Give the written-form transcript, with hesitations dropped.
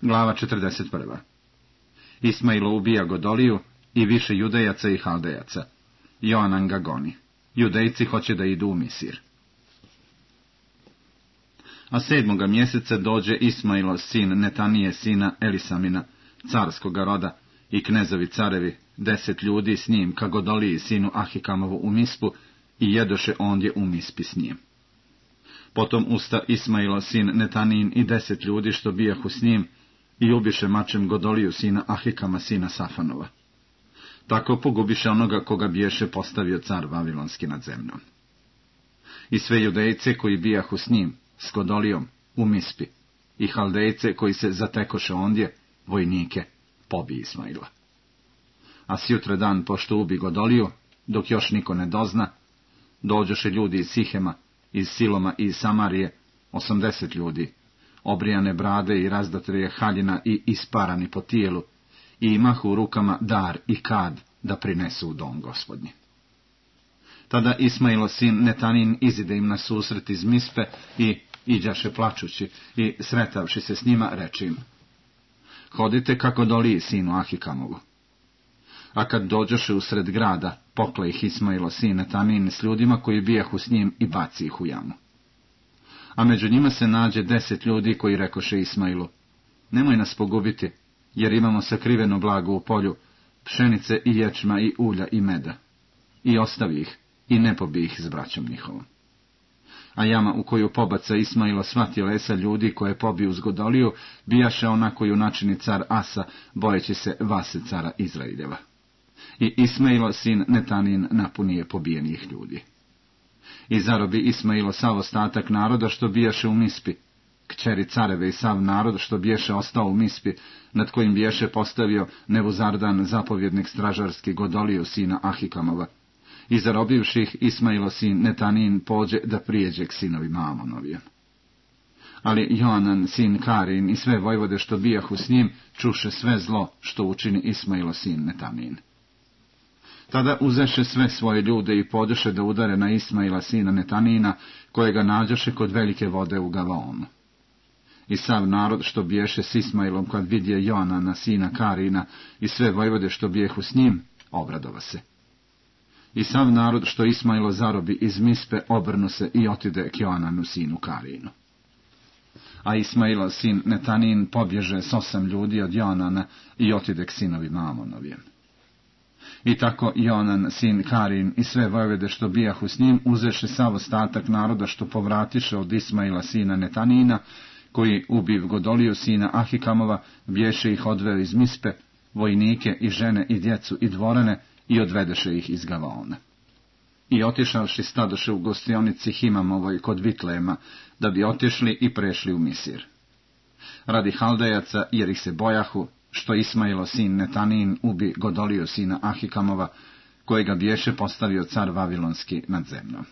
Glava 41. Ismailo ubija Godoliju i više Judejaca i Haldejaca. Joanan ga goni. Judejci hoće da idu u Misir. A 7. mjeseca dođe Ismailo, sin Netanije, sina Elisamina, carskoga roda, i knezovi carevi, 10 ljudi s njim, ka Godoliji, sinu Ahikamovu, u Mispu, i jedoše ondje u Mispi s njim. Potom usta Ismailo, sin Netanijin, i 10 ljudi što bijahu s njim, i ubiše mačem Godoliju, sina Ahikama, sina Safanova. Tako pogubiše onoga koga biješe postavio car Vavilonski nad zemljom. I sve Judejce koji bijahu s njim, s Godolijom, u Mispi, i Haldejce koji se zatekoše ondje, vojnike, pobi Ismaila. A sjutra dan, pošto ubi Godoliju, dok još niko ne dozna, dođoše ljudi iz Sihema, iz Siloma i iz Samarije, 80 ljudi, obrijane brade i razdatrije haljina i isparani po tijelu, i imahu u rukama dar i kad da prinesu u dom Gospodnji. Tada Ismailo, sin Netanin, izide im na susret iz Mispe i iđaše plačući, i sretavši se s njima, reče im: hodite kako Godoliji, sinu Ahikamovu. A kad dođoše u sred grada, pokle ih Ismailo, sin Netanin, s ljudima koji bijahu s njim, i baci ih u jamu. A među njima se nađe 10 ljudi koji rekoše Ismailu: nemoj nas pogubiti, jer imamo sakriveno blago u polju, pšenice i ječma i ulja i meda. I ostavi ih, i ne pobi ih s braćom njihovom. A jama u koju pobaca Ismailo sva tjelesa ljudi koje pobiju s Godoliju, bijaše ona koju načini car Asa, bojeći se Vase cara Izraeljeva. I Ismailo, sin Netanin, napunije pobijenih ljudi. I zarobi Ismailo sav ostatak naroda što bijaše u Mispi, kćeri careve i sav narod što biješe ostao u Mispi, nad kojim biješe postavio Nebuzardan, zapovjednik stražarski, Godoliju, sina Ahikamova. I zarobivši ih, Ismailo, sin Netanin, pođe da prijeđe k sinovima Amonovijem. Ali Joanan, sin Karin, i sve vojvode što bijahu s njim, čuše sve zlo što učini Ismailo, sin Netanin. Tada uzeše sve svoje ljude i podeše da udare na Ismaila, sina Netanina, kojega nađoše kod velike vode u Gavaonu. I sav narod što biješe s Ismailom, kad vidje Joanana, sina Karina, i sve vojvode što bijehu s njim, obradova se. I sav narod što Ismailo zarobi iz Mispe, obrnu se i otide k Joananu, sinu Karinu. A Ismailo, sin Netanin, pobježe s 8 ljudi od Joanana i otide k sinovima Amonovijem. I tako Joanan, sin Karin, i sve vojvode što bijahu s njim, uzeše sav ostatak naroda što povratiše od Ismaila, sina Netanina, koji ubiv Godoliju, sina Ahikamova, biješe ih odveo iz Mispe, vojnike i žene i djecu i dvorane, i odvedeše ih iz Gavaona. I otišavši stadoše u gostionici Himamovoj kod Vitlema, da bi otišli i prešli u Misir. Radi Haldejaca, jer ih se bojahu, što Ismailo, sin Netanin, ubi Godoliju, sina Ahikamova, kojega biješe postavio car Vavilonski nad zemljom.